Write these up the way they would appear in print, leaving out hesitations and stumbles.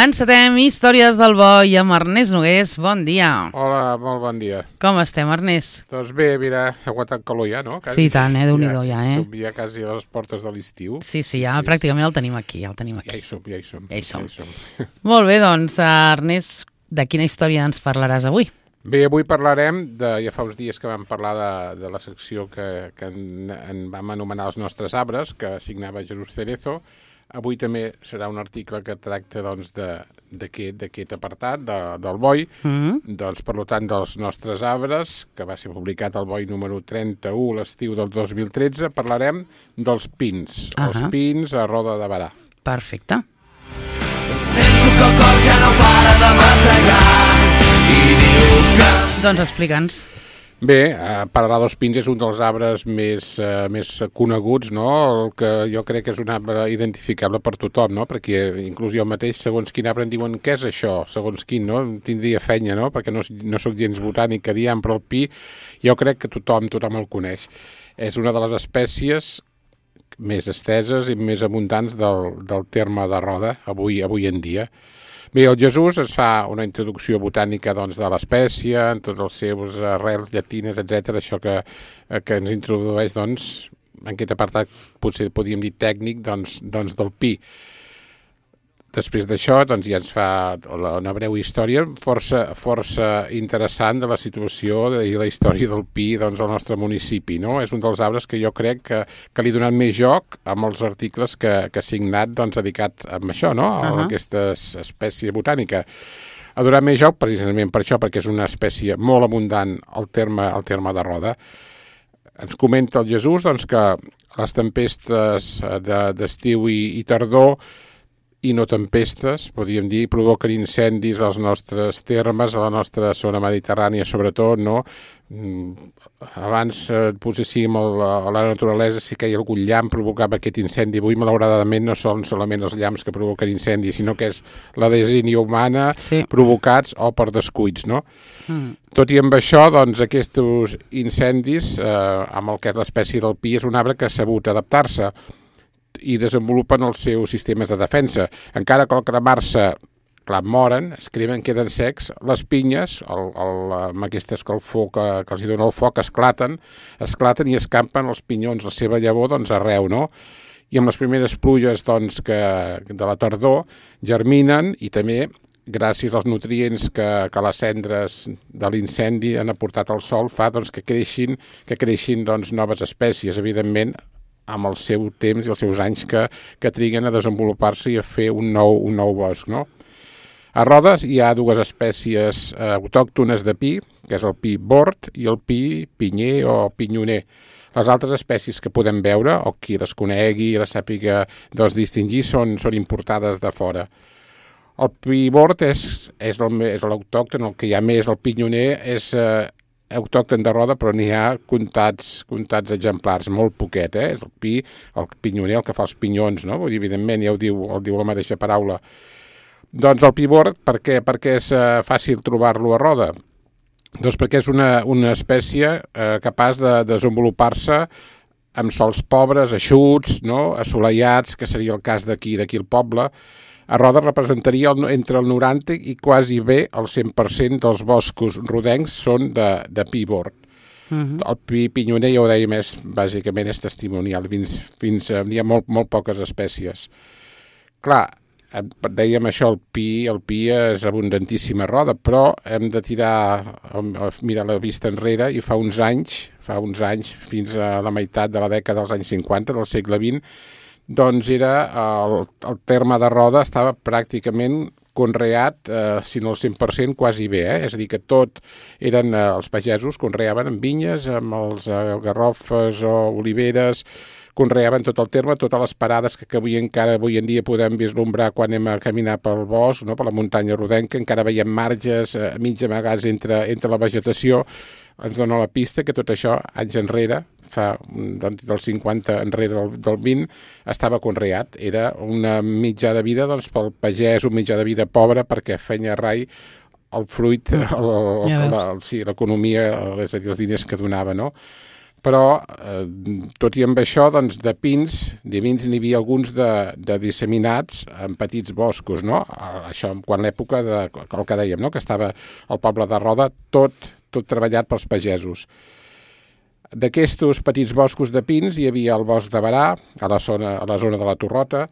Encetem Històries del Bo i amb Ernest Nogués. Bon dia. Hola, molt bon dia. Com estem, Ernest? Doncs bé, mira, ha aguantat calor ja, no? Sí, tant, Déu-n'hi-do ja, Som ja quasi a les portes de l'estiu. Sí, ja pràcticament el tenim aquí, Ja hi som. Molt bé, doncs, Ernest, de quina història ens parlaràs avui? Bé, avui parlarem, ja fa uns dies que vam parlar de la secció que en vam anomenar els nostres arbres, que signava Jesús Cerezo. Avui també serà un article que tracta doncs, d'aquest apartat, del boi, doncs, per tant, dels nostres arbres, que va ser publicat al boi número 31 l'estiu del 2013, parlarem dels pins, els pins a Roda de Berà. Perfecte. Sento que el cor ja no para de bategar i diu que... Doncs explica'ns. Bé, parlar dels pins és un dels arbres més coneguts, no? El que jo crec que és un arbre identificable per tothom, no? Perquè inclús jo mateix, segons quin arbre em diuen què és això, segons quin, no? Tindria fenya, no? Perquè no sóc gens botànic que diem, però el pi jo crec que tothom el coneix. És una de les espècies més esteses i més abundants del terme de Roda avui en dia. Bé, el Jesús ens fa una introducció botànica doncs, de l'espècie, en tots els seus arrels llatines, etc. Això que ens introdueix doncs, en aquest apartat, potser podríem dir tècnic, doncs, del pi. Després d'això doncs, ja ens fa una breu història força interessant de la situació i la història del pi doncs, al nostre municipi. No? És un dels arbres que jo crec que li ha donat més joc amb els articles que ha signat doncs, dedicat a això, no? A aquesta espècie botànica. Ha donat més joc precisament per això, perquè és una espècie molt abundant al terme de Roda. Ens comenta el Jesús doncs, que les tempestes d'estiu i tardor i no tempestes, podríem dir, provoquen incendis als nostres termes, a la nostra zona mediterrània, sobretot, no? Abans, poséssim a la naturalesa, si que hi ha algun llamp provocava aquest incendi. Avui, malauradament, no són solament els llamps que provoquen incendis, sinó que és la desínia humana provocats o per descuits, no? Tot i amb això, doncs, aquests incendis, amb el que és l'espècie del pi, és un arbre que ha sabut adaptar-se i desenvolupen els seus sistemes de defensa. Encara que al cremar-se, clar, moren, es cremen, queden secs, les pinyes, amb aquestes que els dona el foc, esclaten i escampen els pinyons, la seva llavor, doncs, arreu, no? I amb les primeres pluges, doncs, de la tardor, germinen i també, gràcies als nutrients que les cendres de l'incendi han aportat al sol, fa doncs, que creixin doncs, noves espècies, evidentment, amb el seu temps i els seus anys que triguen a desenvolupar-se i a fer un nou bosc, no? A Rodes hi ha dues espècies autòctones de pi, que és el pi bord i el pi pinyer o pinyoner. Les altres espècies que podem veure, o qui les conegui i les sàpiga doncs, distingir, són importades de fora. El pi bord és l'autòcton, el que hi ha més, el pinyoner és autòcton de Roda, però n'hi ha comptats exemplars, molt poquet, És el pinyoner, el que fa els pinyons, no? Vull dir, evidentment, ja ho diu la mateixa paraula. Doncs el pi bord, per què és fàcil trobar-lo a Roda? Doncs perquè és una espècie capaç de desenvolupar-se amb sòls pobres, eixuts, no? Assolellats, que seria el cas d'aquí al poble. A Roda representaria entre el 90 i quasi bé el 100% dels boscos rodencs són de pi bord. El pi pinyoner, ja ho dèiem, bàsicament és testimonial, fins hi ha molt poques espècies. Clar, dèiem això, el pi és abundantíssim a Roda, però hem de mirar la vista enrere i fa uns anys, fins a la meitat de la dècada dels anys 50 del segle XX, doncs era el terme de Roda estava pràcticament conreat, si no el 100%, quasi bé. És a dir, que tot eren els pagesos, conreaven amb vinyes, amb els garrofes o oliveres, conreaven tot el terme, totes les parades que avui en dia podem vislumbrar quan anem a caminar pel bosc, no? Per la muntanya rodenca, encara veiem marges mig amagats entre la vegetació. Ens dona la pista que tot això, anys enrere, del 50 enrere del 20, estava conreat. Era una mitjà de vida doncs, pel pagès, un mitjà de vida pobre, perquè feia rai el fruit, l'economia, és a dir, els diners que donava, no? però tot i amb això, doncs, de pins n'hi havia alguns de disseminats en petits boscos, no? Això quan l'època el que dèiem, no? Que estava el poble de Roda tot treballat pels pagesos. D'aquests petits boscos de pins hi havia el bosc de Barà, a la zona de la Torrota,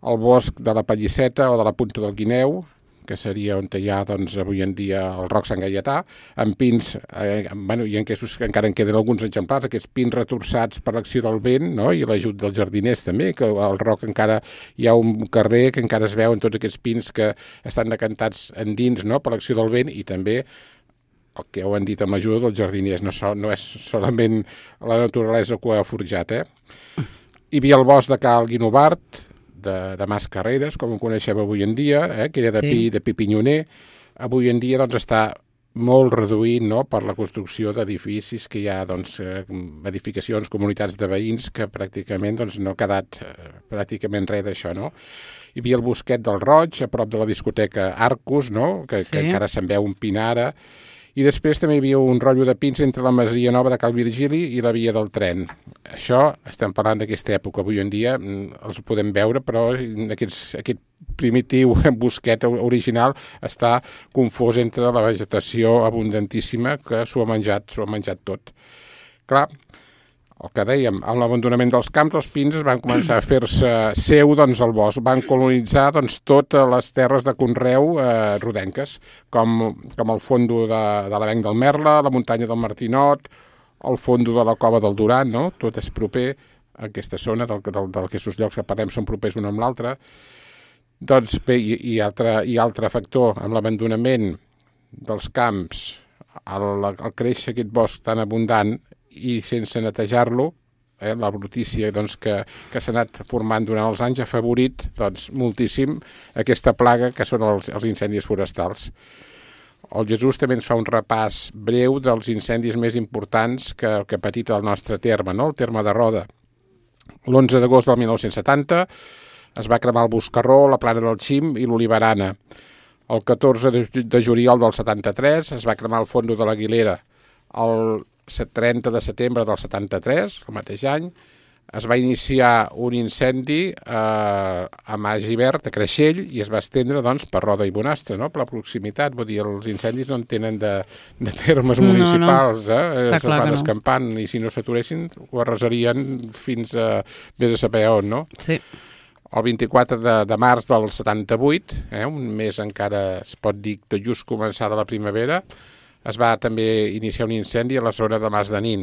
el bosc de la Pallisseta o de la Punta del Guineu, que seria on hi ha, doncs, avui en dia el Roc Sant Gaietà, amb pins, i aquests encara en queden alguns exemplars, aquests pins retorçats per l'acció del vent, no? I l'ajut dels jardiners també, que al Roc encara hi ha un carrer que encara es veuen tots aquests pins que estan decantats endins, no? Per l'acció del vent, i també el que heu dit amb l'ajuda dels jardiners, no és solament la naturalesa que ho ha forjat. Hi havia el bosc de Cal Guinovart, de Mas Carreres, com ho coneixem avui en dia, que era de pi pinyoner. Avui en dia doncs, està molt reduït, no?, per la construcció d'edificis que hi ha, doncs, edificacions, comunitats de veïns, que pràcticament doncs, no ha quedat pràcticament res d'això, no? Hi havia el Bosquet del Roig, a prop de la discoteca Arcus, no?, que encara se'n veu un pin ara. I després també hi havia un rotllo de pins entre la Masia Nova de Cal Virgili i la via del tren. Això, estem parlant d'aquesta època, avui en dia els podem veure, però aquest primitiu bosquet original està confós entre la vegetació abundantíssima que s'ho ha menjat tot. Clar, el que dèiem, amb l'abandonament dels camps, els pins van començar a fer-se seu, doncs, al bosc. Van colonitzar, doncs, totes les terres de conreu rodenques, com el fondo de l'Avenc del Merla, la muntanya del Martinot, el fondo de la Cova del Duran, no? Tot és proper a aquesta zona, d'aquests llocs que parlem són propers un amb l'altre. Doncs bé, i altre factor, amb l'abandonament dels camps, al créixer aquest bosc tan abundant, i sense netejar-lo, la brutícia doncs, que s'ha anat formant durant els anys ha afavorit doncs, moltíssim aquesta plaga que són els incendis forestals. El Jesús també ens fa un repàs breu dels incendis més importants que ha patit el nostre terme, no? El terme de Roda. L'11 d'agost del 1970 es va cremar el Boscarró, la Plana del Xim i l'Oliverana. El 14 de juliol del 73 es va cremar el Fondo de l'Aguilera. El 30 de setembre del 73, el mateix any, es va iniciar un incendi a Magivert, a Creixell, i es va estendre doncs, per Roda i Bonastre, no? Per la proximitat. Vull dir, els incendis no en tenen de termes municipals, es van escampant, i si no s'aturessin ho arrasarien fins a vés a saber on, no? Sí. El 24 de març del 78, un mes encara es pot dir tot just començada la primavera, es va també iniciar un incendi a la zona de Mas de Nin.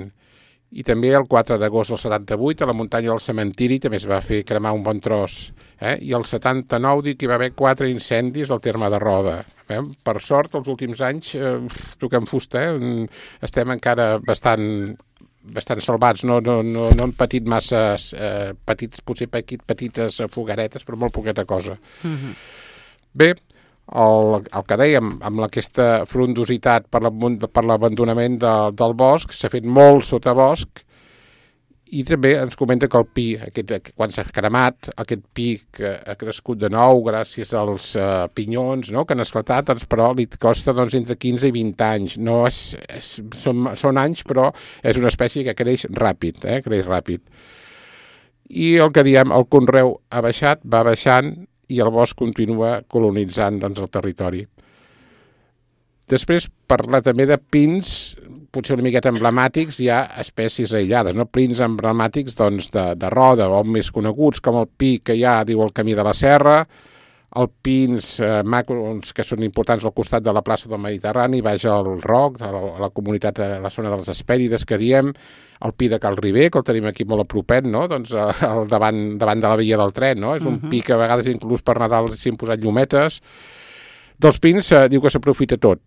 I també el 4 d'agost del 78, a la muntanya del Cementiri, també es va fer cremar un bon tros. I el 79 diu que hi va haver 4 incendis al terme de Roda. Per sort, els últims anys, toquem fusta, estem encara bastant salvats, no han patit massa potser petites fogaretes, però molt poqueta cosa. Bé, el que dèiem, amb aquesta frondositat per l'abandonament del bosc, s'ha fet molt sotabosc, i també ens comenta que el pi, quan s'ha cremat, aquest pi que ha crescut de nou gràcies als pinyons, no?, que han esclatat, doncs, però li costa entre 15 i 20 anys. No són anys, però és una espècie que creix ràpid, creix ràpid. I el que diem, el conreu ha baixat, va baixant, i el bosc continua colonitzant doncs, el territori. Després parla també de pins, potser una miqueta emblemàtics, hi ha espècies aïllades, no? Pins emblemàtics doncs, de Roda, o més coneguts, com el pi que hi ha, diu el Camí de la Serra, els pins macros que són importants al costat de la plaça del Mediterrani, baix al Roc, a la comunitat, a la zona de les Hespèrides que diem, el pi de Cal Riber, que el tenim aquí molt a propet, no? Doncs davant de la via del tren, no? És un pi que a vegades inclús per Nadal s'hi han posat llumetes. Dels pins diu que s'aprofita tot,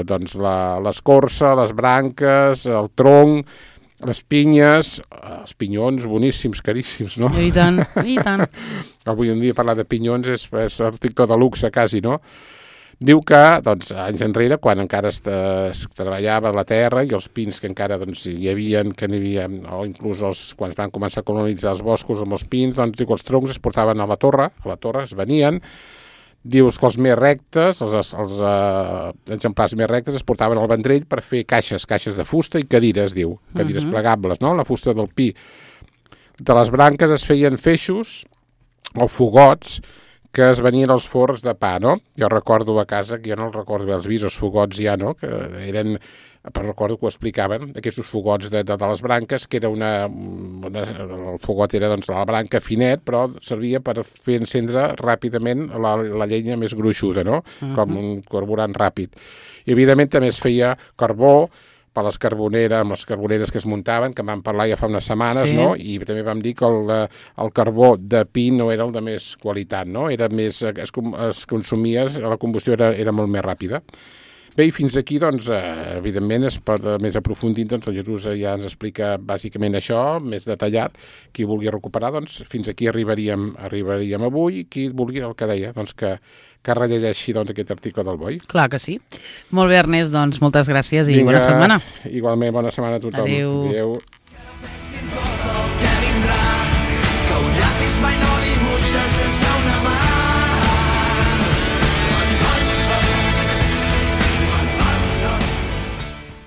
doncs l'escorça, les branques, el tronc, les pinyes, els pinyons boníssims, caríssims, no? I tant, i tant. Avui en dia parlar de pinyons és article de luxe, quasi, no? Diu que, doncs, anys enrere, quan encara es treballava la terra i els pins que encara doncs, hi havia, o inclús quan es van començar a colonitzar els boscos amb els pins, doncs diu que els troncs es portaven a la torre es venien, Dius que els més rectes, els exemplars més rectes es portaven al Vendrell per fer caixes de fusta i cadires, diu, cadires plegables, no? La fusta del pi. De les branques es feien feixos o fogots que es venien als forns de pa, no? Jo recordo a casa, que jo no els recordo bé els vis, els fogots ja, no? Que eren, però recordo que ho explicaven, aquests fogots de les branques, que era el fogot era doncs la branca finet, però servia per fer encendre ràpidament la llenya més gruixuda, no? Com un carburant ràpid. I evidentment també es feia carbó per les carboneres, amb les carboneres que es muntaven, que en vam parlar ja fa unes setmanes, no? I també vam dir que el carbó de pi no era el de més qualitat, no? Era més, es consumia, la combustió era molt més ràpida. Bé, i fins aquí, doncs, evidentment, més aprofundint, doncs, el Jesús ja ens explica bàsicament això, més detallat. Qui vulgui recuperar, doncs, fins aquí arribaríem avui. Qui vulgui, el que deia, doncs, que rellegeixi doncs, aquest article del Boi. Clar que sí. Molt bé, Ernest, doncs, moltes gràcies i bona setmana. Igualment, bona setmana a tothom. Adéu. Adéu.